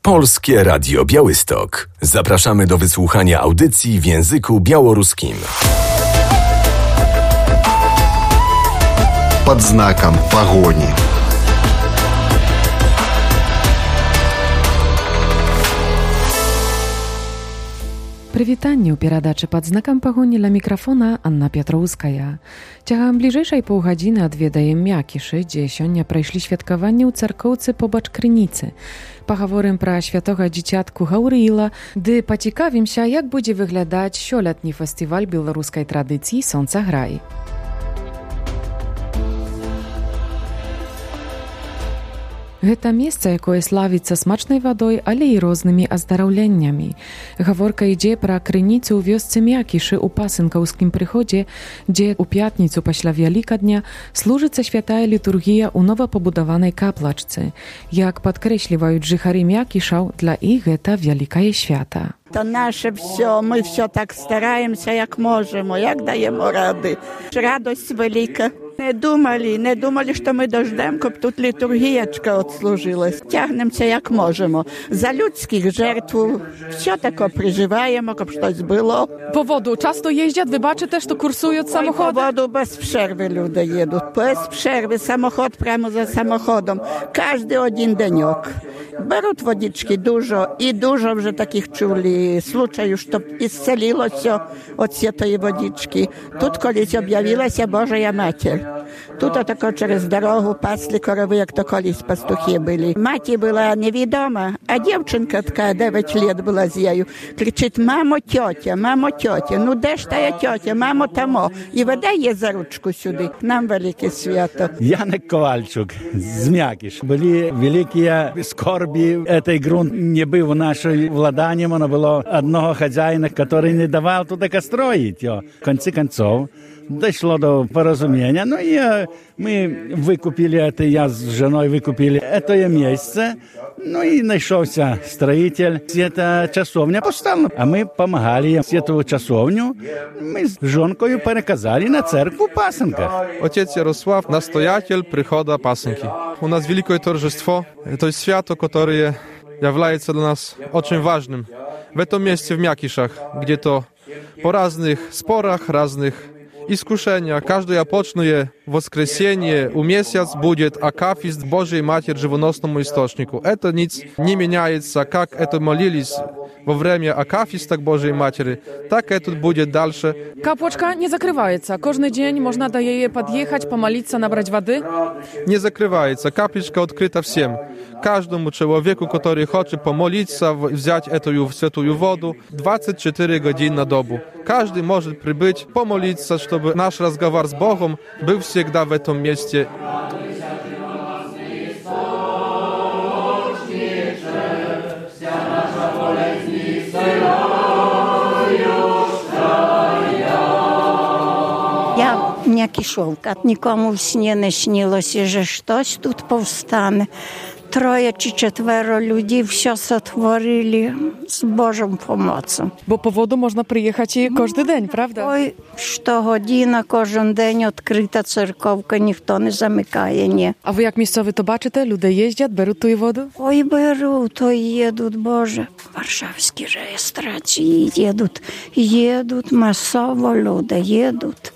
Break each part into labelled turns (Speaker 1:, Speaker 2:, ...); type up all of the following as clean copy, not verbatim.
Speaker 1: Polskie Radio Białystok. Zapraszamy do wysłuchania audycji w języku białoruskim.
Speaker 2: Под знаком погони.
Speaker 3: Прывітанне ў перадачы пад знакам пагоні ля мікрафона Анна Пятроўская. Цягам бліжэйшай паўгадзіны адведаем Мякішы, дзе сёння прайшлі святкаванні ў царкоўцы побач крыніцы. Пагаворым пра святога дзіцятку Гаўрыіла, ды пацікавімся, як будзе выглядаць сёлетні фестываль беларускай традыцыі «Сонцаграй». Гэта месца, якое славіцца смачнай вадой, але і рознымі аздараўленнямі. Гаворка ідзе пра крыніцу ў вёсцы Мякішы ў пасынкаўскім прыходзе, дзе ў пятніцу пасля Вялікадня служыцца святая літургія ў новапабудаванай каплачцы. Як падкрэсліваюць жыхары Мякішаў, для іх гэта вялікае свята.
Speaker 4: To nasze все, my все tak стараемся, jak możemy, jak dajemy rady. Radość wielka. Не думали, що ми дождемо, щоб тут літургієчка отслужилась. Тягнемося, як можемо. За людських жертв все таке переживаємо, щоб щось було.
Speaker 3: Po wodu często jeździą, wy baczycie, że kursują samochody?
Speaker 4: Po wodu bez przerwy ludzie jedą. Bez przerwy, samochód prямо za samochodem. Każdy один денек. Беруть водички dużo i dużo вже таких чули случаїв, що ісцелилося від цієї водички. Тут колись об'явилася Божа Матір. Тут тако через дорогу пасли корови, як то колись пастухи були. Маті була невідома, а дівчинка така 9 років була з нею. Кричить: мамо, тьотя, ну де ж тая тьотя, мамо, тамо. І веде її за ручку сюди. Нам велике свято.
Speaker 5: Janek Kowalczuk z Mjakisz. Byli wielkie skorbi. Ten grunt nie był naszym władaniem. Ono było одного хозяина, который не давал туда строить. В конце концов, дошло до поразумения. Ну и мы выкупили это, я с женой выкупили это место. Ну и нашелся строитель. Эта часовня поставила. А мы помогали им. Эту часовню мы с женкой переказали на церковь в Пасынках.
Speaker 6: Отец Ярослав, настоятель прихода Пасынки. У нас великое торжество. Это свято, которое является для нас очень важным. В этом месте, в Мякишах, где-то по разных спорах, разных искушениях, каждое почное воскресенье у месяц будет акафист Божьей Матери живоносному источнику. Это nic не меняется, как это молились во время акафиста к Божьей Матери, так это будет дальше.
Speaker 3: Капочка не закрывается. Каждый день можно до нее подъехать, помолиться, набрать воды?
Speaker 6: Не закрывается. Капличка открыта всем. Каждому человеку, который хочет помолиться, взять эту святую воду 24 годины на добу. Каждый может прибыть, помолиться, чтобы наш разговор с Богом был всегда в этом месте.
Speaker 7: Я Мякішовка. Нікому в сні не снилося, що щось тут повстане. 3 чи 4 людей все сотворили з Божою допомогою.
Speaker 3: Bo po wodu można przyjechać i każdy dzień, prawda?
Speaker 7: Ой, щогодина, кожен день відкрита церковка, ніхто не замикає, ні.
Speaker 3: A wy jak miejscowy to baczycie? Ludzie jeździą, biorą tu wodę?
Speaker 7: Ой, беруть, ой, їдуть, Боже. Варшавські реєстрації їдуть, масово люди їдуть.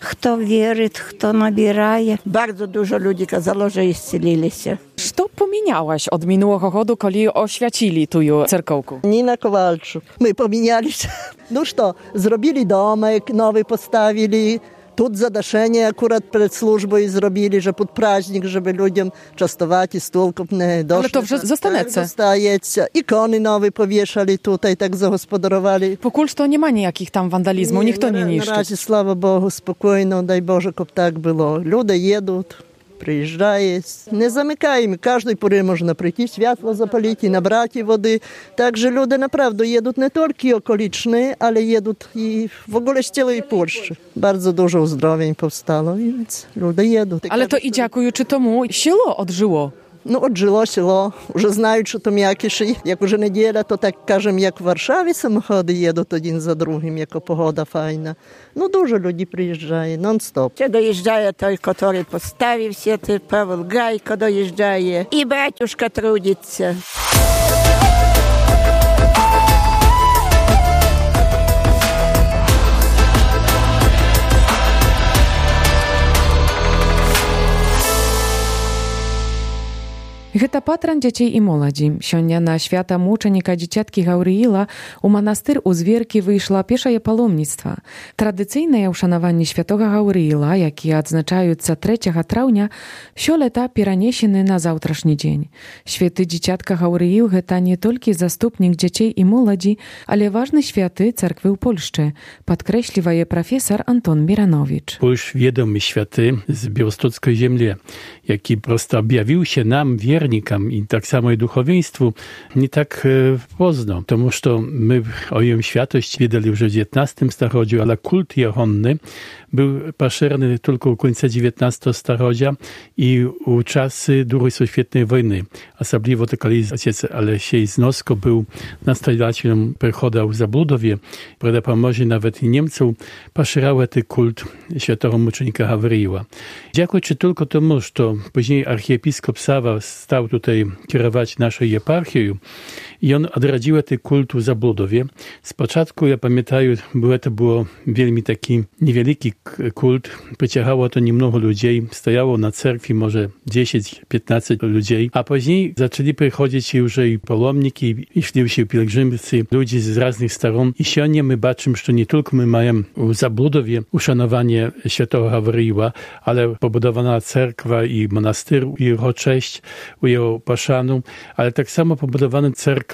Speaker 7: Хто вірить, хто набирає.
Speaker 4: Bardzo dużo ludzi kazało, że исцелилися.
Speaker 3: Co pomieniałaś od minionego roku, kiedy oświacili tu cerkołku?
Speaker 8: Nina Kowalczuk. My pomienialiśmy. No co, zrobili domek, nowy postawili. Тут задашення акурат перед службою зробили, що під праздник, щоб людям частувати стіл, щоб не дошли.
Speaker 3: Але то вже зостанеться.
Speaker 8: Зостається. Ікони нові повішали тут, і так загосподарували.
Speaker 3: Покуль що немає ніяких там вандалізму, ніхто не ніщить.
Speaker 8: Наразі, слава Богу, спокійно, дай Боже, щоб так було. Люди їдуть, приїжджають. Не замикаємо. Кожної пори можна прийти, світло запалити, набрати води. Також люди, направду, їдуть не тільки околічні, але їдуть і в ogóle з цілої Польщі. Bardzo dużo uzdrowień powstało, więc ludzie jedą.
Speaker 3: Ale to i dziękujący temu sielo odżyło.
Speaker 8: Ну, от жило село, вже знають, що там Мякіші. Як уже неділя, то так, кажемо, як в Варшаві самоходи їдуть один за другим, яка погода файна. Ну, дуже люди приїжджає, нон-стоп.
Speaker 4: Ще доїжджає той, який поставив сіти, Павел Гайко доїжджає. І батюшка трудиться.
Speaker 3: Гэта патран дзяцей і моладзі. Сёння на свята мучаніка дзіцяткі Гаўрыіла у манастыр у Зверкі выйшла пешае паломніцтва. Традыцыйнае ўшанаванне святога Гаўрыіла, якія адзначаюцца 3 траўня, сёлета перанесены на заўтрашні дзень. Святы дзіцятка Гаўрыіл – гэта не толькі заступнік дзяцей і моладзі, але важны святы царквы ў Польшчы, падкрэслівае прафесар Антон Міранowicz.
Speaker 9: Польш відомий святы з Białostockiej ziemi, jaki prosto objawił się nam, wiernikom i tak samo i duchowieństwu, nie tak poznał. Тому що ми о їм святості відали вже в 19 столітті, але культ єгонний був поширений тільки у кінці 19 століття і у часи Другої світової війни. Особливо коли отець Алексій Зноско був настоятелем приходу в Заблудові, при допомозі навіть і німців, поширяв цей культ святого мученика Гавриила. Дякуючи тільки тому, що пізніше архієпископ Сава став тут керувати нашою єпархією, i on odradził ten kult w Zabludowie. Z początku, ja pamiętam, to było wielmi taki niewielki kult. Przyciągało to niemnogo ludzi. Stojało na cerkwi może 10-15 ludzi. A później zaczęli przychodzić już i palomniki, i szli się pielgrzymcy, ludzie z różnych stron. I dzisiaj my baczymy, że nie tylko my mamy w Zabludowie uszanowanie świętego Gawryila, ale pobudowana cerkwa i monastyr, i jego cześć, i jego poszanu, ale tak samo pobudowana cerkwa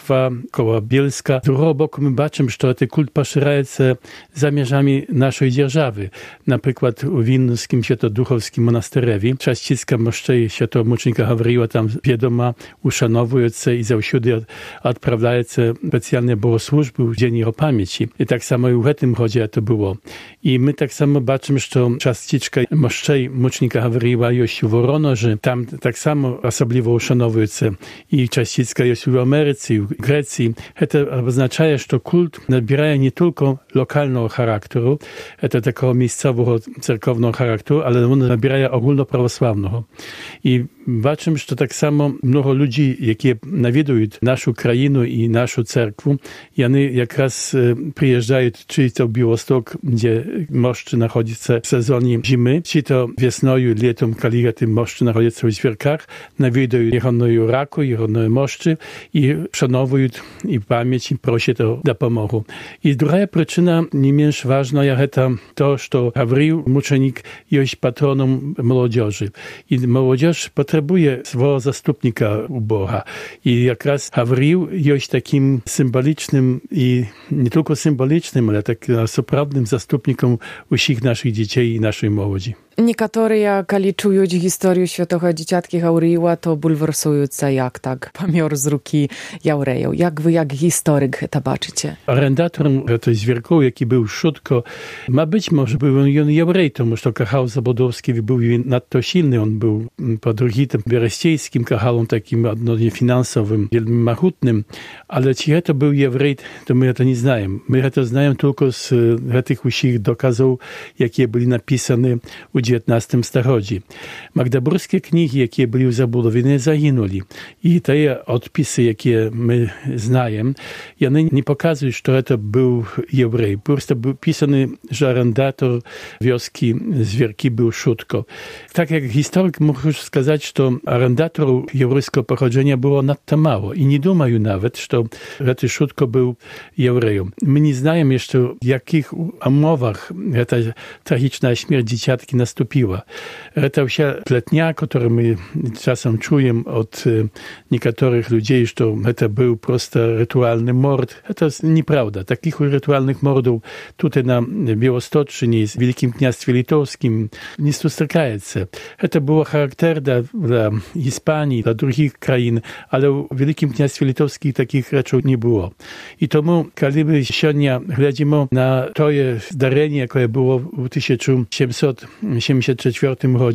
Speaker 9: koło Bielska. Z drugiego boku my baczymy, że ten kult poszerza się za mierzami naszej dzierżawy. Na przykład w Winnickim Świętoduchowskim monasterewi czaścicka moszczej świętego mucznika Gawryila tam wiadoma uszanowuje się i zawsiudy odprawiają się specjalne bogosłużby w dzień jego pamięci. I tak samo i w tym chodzie to było. I my tak samo baczymy, że czaściczka moszczej mucznika Gawryila jest w Woronoży. Tam tak samo osobliwo uszanowuje się i czaścicka jest w Ameryce, w Grecji. To oznacza, że kult nabiera nie tylko lokalnego charakteru, to takiego miejscowego, cerkownego charakteru, ale on nabiera ogólnoprawosławnego. I baczymy, że tak samo mnogo ludzi, jakie nawiedzą naszą krainę i naszą cerkwę, i oni jak raz przyjeżdżają, czy to Białystok, gdzie moszczy nachodzi się w sezonie zimy, czy to wiosną i latem, kiedy te moszczy nachodzą się w Zwierkach, nawiedzą jego raku, jego moszczy i szanowują i pamięć i prosi to dopomogą. I druga przyczyna, nie mniej ważna, jest to, że Gawryil, muczenik, jest patronem młodzieży. I młodzież potrzebuje swojego zastupnika u Boga. I jak raz Gawryil jest takim symbolicznym i nie tylko symbolicznym, ale takim naprawdę zastupnikiem wszystkich naszych dzieci i naszej młodzi.
Speaker 3: Niektórzy, kiedy czują historię świętego dzieciatki Gawryila, to bulwersują się, jak tak pamior z ruki Jaureją. Jak wy, jak historyk, to baczycie?
Speaker 9: Arendatorem tej zwierkoł, jaki był Szutko, ma być może był on Jaurej, тому що Kachał Zabłudowski był nadto silny. On był pod Ruchitem Wiereściejskim Kachalom, takim odnośnie finansowym, wielmi machutnym. Ale czy to był Jaurej, to my to nie znamy. My to znamy tylko z tych wszystkich dokazów, jakie byli napisane u XIX stuleciu. Magdeburskie księgi, jakie były w Zabłudowie, zaginęli. I te odpisy, jakie my znamy, one nie pokazują, że to był Jaurej. Po prostu był pisany, że arendator wioski Zwierki był Szutko. Tak jak historyk mógł już сказать, że arendatorów jaurejskiego pochodzenia było nadto mało. I nie dumają nawet, że ten Szutko był Jaurejem. My nie znamy jeszcze, w jakich umowach ta tragiczna śmierć dzieciatki nastąpiła. To wся pletnia, którą my czasem czujemy od niektórych ludzi, że to był prosto rytualny mord. To jest nieprawda. Takich rytualnych mordów tutaj na Białostoczynie, w Wielkim Kniastwie Litowskim nie spotykają się. To było charakter dla Hiszpanii, dla drugich krain, ale w Wielkim Kniastwie Litowskim takich rzeczy nie było. I tomu, kiedy my dzisiaj глядimy na to zdarzenie, jakie było w 1774 roku,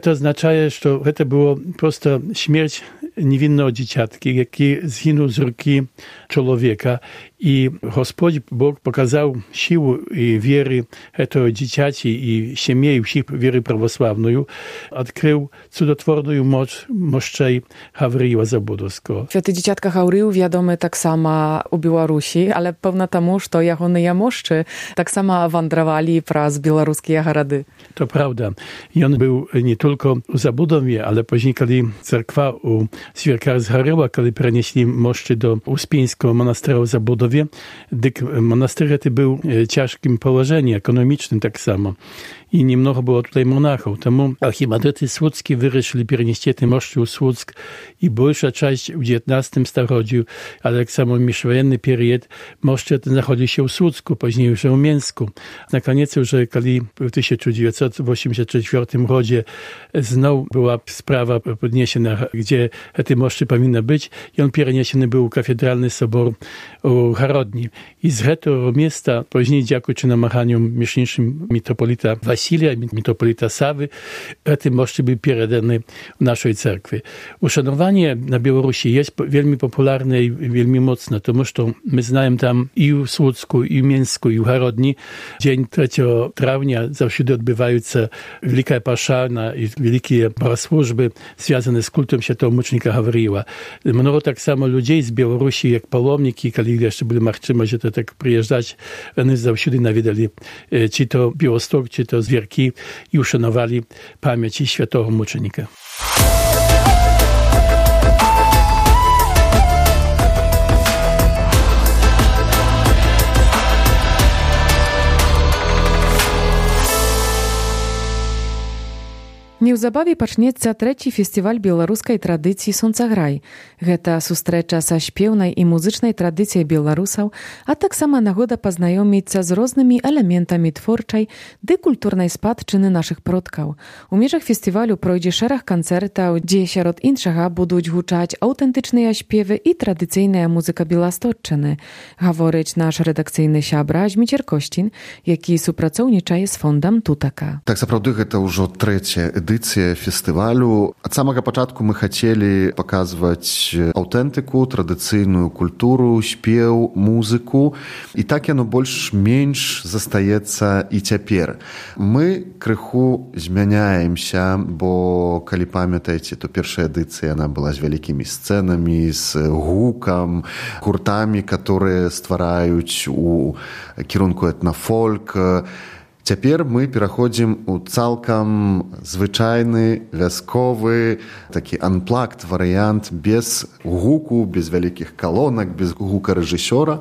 Speaker 9: to oznacza, że to było prosto śmierć niewinnego dzieciatki, jaki zginął z ręki człowieka I Господь Бог показал силу и веры этого дитяти и семей всех веры православную, открыл чудотворную мощь мощей Гавриила Забудовского.
Speaker 3: Święty dzieciatka Gawrył wiadomy tak samo u Białorusi, ale pewna temu, że jak one moszczy tak samo wędrowali przez białoruskie garady.
Speaker 9: To prawda. I on był nie tylko u Zabudowie, ale później, kiedy cerkwa u Świerkar zgoręła, kiedy przenieśli moszczy do Uspieńskiego monasteru w Zabudowie, dyk monaster ten był w ciężkim położeniu ekonomicznym tak samo. I niemnogo było tutaj monachów. Temu archimandryty słudzki wyruszyli przenieść te moszczy u Słudzk i большая część w XIX starodziu, ale tak samo w międzywojenny period moszcze te znachodzi się u Słudzku, później już u Mięsku. Na koniec już, kiedy w 1984 roku znowu była sprawa podniesiona, gdzie te moszcze powinny być i on przeniesiony był u katedralny sobor u Harodni. I z tego miejsca, później dziękując namachaniom mieszanicznym mitropolita Wasilia, mitropolita Sawy, te moszcze były przekazane w naszej cerkwi. Uszanowanie na Białorusi jest wielmi popularne i wielmi mocne, to że my znamy tam i w Słudzku, i w Mięsku, i w Harodni. Dzień 3 trawnia zawsze odbywają się wielka paszana i wielkie służby związane z kultem świętego mucznika Gawryła. Mnogo tak samo ludzi z Białorusi, jak palomniki, kiedy jeszcze byli machczyma, że to tak przyjeżdżać, oni zawsze nawiedali, czy to Białostok, czy to Zwierki i uszanowali pamięć świętego mucznika.
Speaker 3: Неўзабаве пачнецца 3 фестываль беларускай традыцыі «Сонцаграй». Гэта сустрэча са śpiewnej і музычнай традыцыяй беларусаў, а таксама нагода пазнаёміцца з рознымі элементамі творчай ды культурнай спадчыны нашых продкаў. У межах фестывалю пройдзе шэраг канцэртаў, дзе сярод іншага будуць гучаць аўтэнтычныя śpiewy і традыцыйная музыка Беласточчыны, гаворыць наш рэдакцыйны сябра Зміцер Косцін, які супрацоўнічае з фондам Тутака.
Speaker 2: Так, сапраўды, гэта ўжо 3-я эдыцыя фестывалю. Ад самага пачатку мы хацелі паказваць аўтэнтыку, традыцыйную культуру, спеў, музыку. І так яно больш-менш застаецца і цяпер. Мы крыху змяняемся, бо, калі памятаеце, то першая эдыцыя яна была з вялікімі сцэнамі, з гукам, гуртамі, которые ствараюць у кірунку этнафольк. Цяпер мы пераходзім у цалкам звычайны, вясковы, такі анплагд варыянт без гуку, без вялікіх калонак, без гука рэжысёра.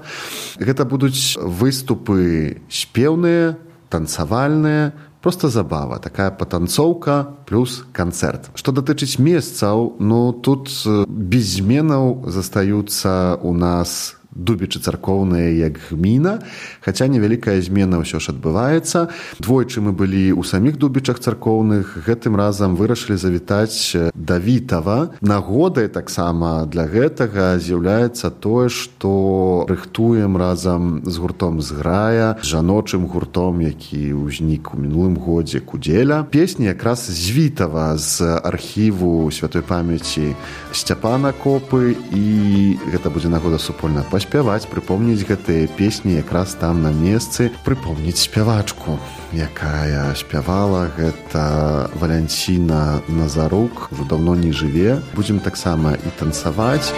Speaker 2: Гэта будуць выступы спеўныя, танцавальныя, просто забава, такая патанцоўка плюс канцэрт. Што датычыць месцаў, тут без зменаў застаюцца у нас дубічы царкоўныя як гміна, хаця невялікая змена ўсё ж адбываецца. Двойчы мы былі ў саміх дубічах царкоўных, гэтым разам вырашылі завітаць да Вітава. Нагодай таксама для гэтага з'яўляецца тое, што рыхтуем разам з гуртом «Зграя», жаночым гуртом, які ўзнік у мінулым годзе «Кудзеля». Песні якраз з Вітава, з архіву святой памяці Сцяпана Копы, і гэта будзе нагода супольна паспяваць, прыпомніць гэтыя песні якраз там на месцы, прыпомніць спявачку, якая спявала, гэта Валянціна Назарук, ужо даўно не жыве. Будзем таксама і танцаваць.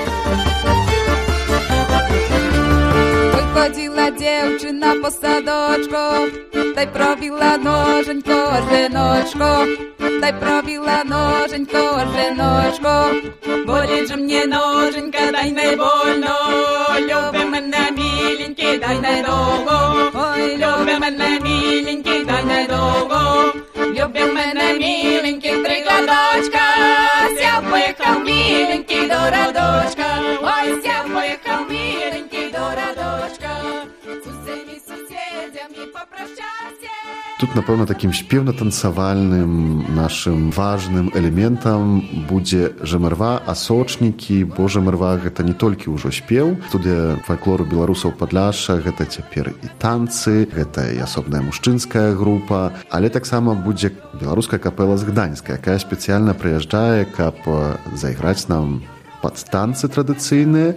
Speaker 10: Wychodziła dziewczyna po sadочку, daj probiła nożeńko, żenoczko, daj probiła nożeńko, żenoczko, boleć, że mnie nożeńka, daj najwolno, lubię mnie milinki, daj najdługo, oj, lubię mnie milinki, daj najdługo, lubię mnie milinki, trygadoczka, ся поїхав milinki do radoczka, oj, ся поїхав milinki do radoczka, z usymi sąsiedzami popraszczajcie.
Speaker 2: Тут, напэўна, такім спеўна-танцавальным нашым важным элементам будзе жэмырва, асочнікі, бо жэмырва гэта не толькі ўжо спеў. Студыя фальклору беларусаў Падляшша, гэта цяпер і танцы, гэта і асобная мужчынская група, але таксама будзе беларуская капэла з Гданьска, якая спецыяльна прыязджае, каб зайграць нам пад танцы традыцыйныя,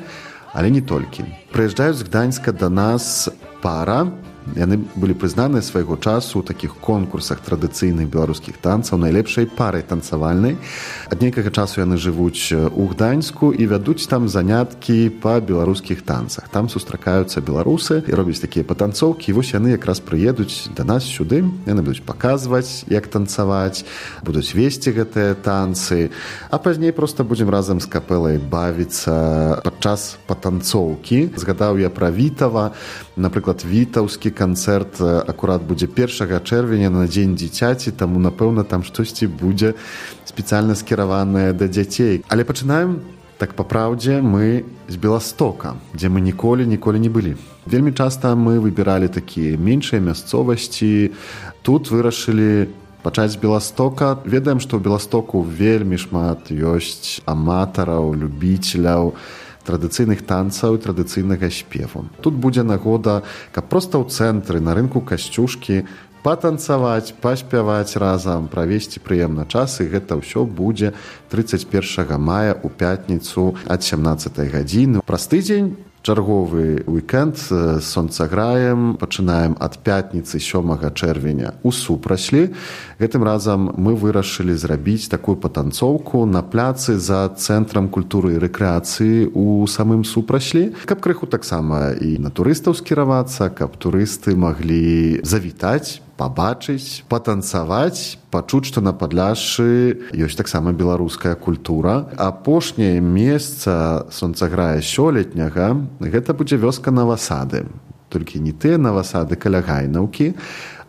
Speaker 2: але не толькі. Прыязджаюць з Гданьска да нас пара. Яны былі прызнаныя свайго часу ў такіх конкурсах традыцыйных беларускіх танцаў найлепшай парай танцавальнай. Ад нейкага часу яны жывуць у Гданьску і вядуць там заняткі па беларускіх танцах. Там сустракаюцца беларусы і робяць такія патанцоўкі. І вось яны якраз прыедуць да нас сюды. Яны будуць паказваць, як танцаваць, будуць весці гэтыя танцы. А пазней проста будзем разам з капэлай бавіцца падчас патанцоўкі. Згадаў я пра Вітава. Напрыклад, вітаўскі канцэрт акурат будзе 1 чэрвеня на дзень дзіцяці, таму, напэўна, там штосьці будзе спецыяльна скіраванае да дзяцей. Але пачынаем, так па праўдзе, мы з Беластока, дзе мы ніколі не былі. Вельмі часта мы выбіралі такія меншыя мясцовасці. Тут вырашылі пачаць з Беластока. Ведаем, што ў Беластоку вельмі шмат ёсць аматараў, любіцеляў традыцыйных танцаў і традыцыйнага спеву. Тут будзе нагода, каб проста ў цэнтры, на рынку Касцюшкі патанцаваць, паспяваць разам, правесці прыемна час, і гэта ўсё будзе 31 мая ў пятніцу ад 17 гадзіны. Праз тыдзень чарговы уікенд з сонцаграем. Пачынаем ад пятніцы 7 чэрвеня у Супраслі. Гэтым разам мы вырашылі зрабіць такую патанцоўку на пляцы за цэнтрам культуры і рэкрэацыі у самым Супраслі, каб крыху таксама і на турыстаў скіравацца, каб турысты маглі завітаць, пабачыць, патанцаваць, пачуць, што на Падляшшы ёсць таксама беларуская культура. Апошняе месца сонцаграя сёлетняга гэта будзе вёска Навасады. Толькі не тыя Навасады каля Гайнаўкі,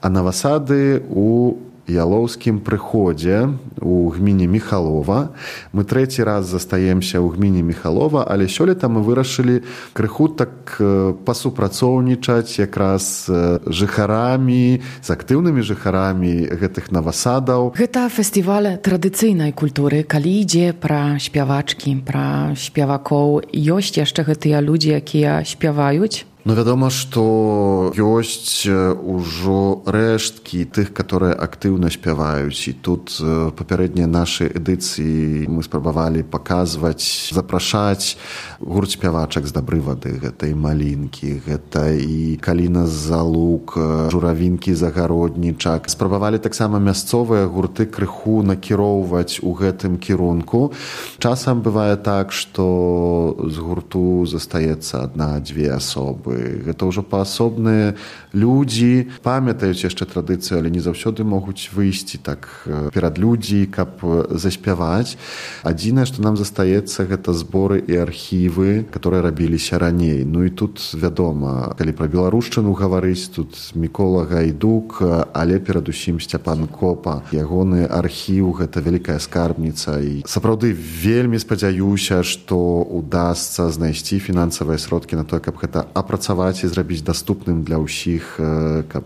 Speaker 2: а Навасады у Ялоўскім прыходзе у гміне Міхалова. Мы 3 раз застаемся ў гміне Міхалова, але сёлета мы вырашылі крыху так пасупрацоўнічаць якраз жыхарамі, з актыўнымі жыхарамі гэтых Навасадаў.
Speaker 3: Гэта фестываль традыцыйнай культуры. Калі ідзе пра спявачкі, пра спевакоў, ёсць яшчэ гэтыя людзі, якія спяваюць?
Speaker 2: Ну, вядома, што ёсць ужо рэшткі тых, которые актыўна спяваюць. І тут папярэднія нашы эдыцыі мы спрабавалі паказваць, запрашаць гурт спявачак з Дабры вады. Гэта і Малінкі, гэта і Каліна Залук, Журавінкі Загароднічак. Спрабавалі таксама мясцовыя гурты крыху накіроўваць у гэтым кірунку. Часам бывае так, што з гурту застаецца 1-2 асобы. Гэта ўжо паасобныя людзі, памятаюць яшчэ традыцыю, але не заўсёды могуць выйсці так перад людзі, каб заспяваць. Адзінае, што нам застаецца, гэта зборы і архівы, которые рабіліся раней. Ну і тут, вядома, калі пра беларушчыну гаварыць, тут Мікола Гайдук, але перадусім Сцяпан Копа. Ягоны архіў — гэта вялікая скарбніца. І сапраўды вельмі спадзяюся, што удасца знайсці фінансавыя сродкі на тое, каб гэта апрацаваць і зрабіць даступным для ўсіх, каб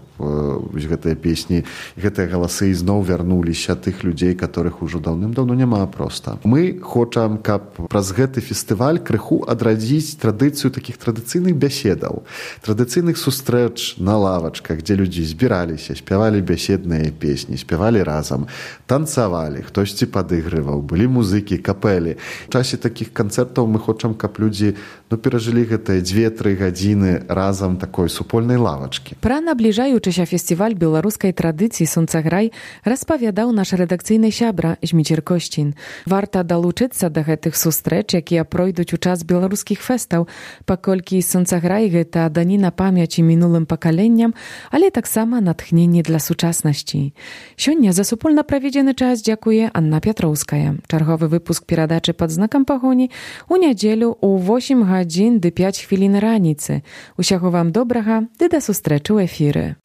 Speaker 2: гэтыя песні, гэтыя галасы зноў вярнуліся тых людзей, которых ужо даўным-даўно няма проста. Мы хочам, каб праз гэты фестываль крыху адрадзіць традыцыю такіх традыцыйных бяседаў, традыцыйных сустрэч на лавачках, дзе людзі збіраліся, спявалі бяседныя песні, спявалі разам, танцавалі, хтосьці падыгрываў, былі музыкі, капэлі. У часе такіх канцэртаў мы хочам, каб людзі перажылі гэтыя 2-3 гадзіны разам такой супольнай лавачкі.
Speaker 3: Пра набліжаючыся фестываль беларускай традыцыі «Сонцаграй» распавядаў наш рэдакцыйны сябра Зміцер Косцін. Варта далучыцца да гэтых сустрэч, якія пройдуць у час беларускіх фэстаў, паколькі «Сонцаграй» — гэта даніна памяці мінулым пакаленням, але таксама натхненне для сучаснасці. Сёння за супольна праведзены час дзякуе Анна Пятроўская. Чарговы выпуск перадачы «Пад знакам пагоні» у нядзелю ў 8 гадзін ды 5 хвілін раніцы. Усяго вам добрага, ды да сустрэчы ў эфіры.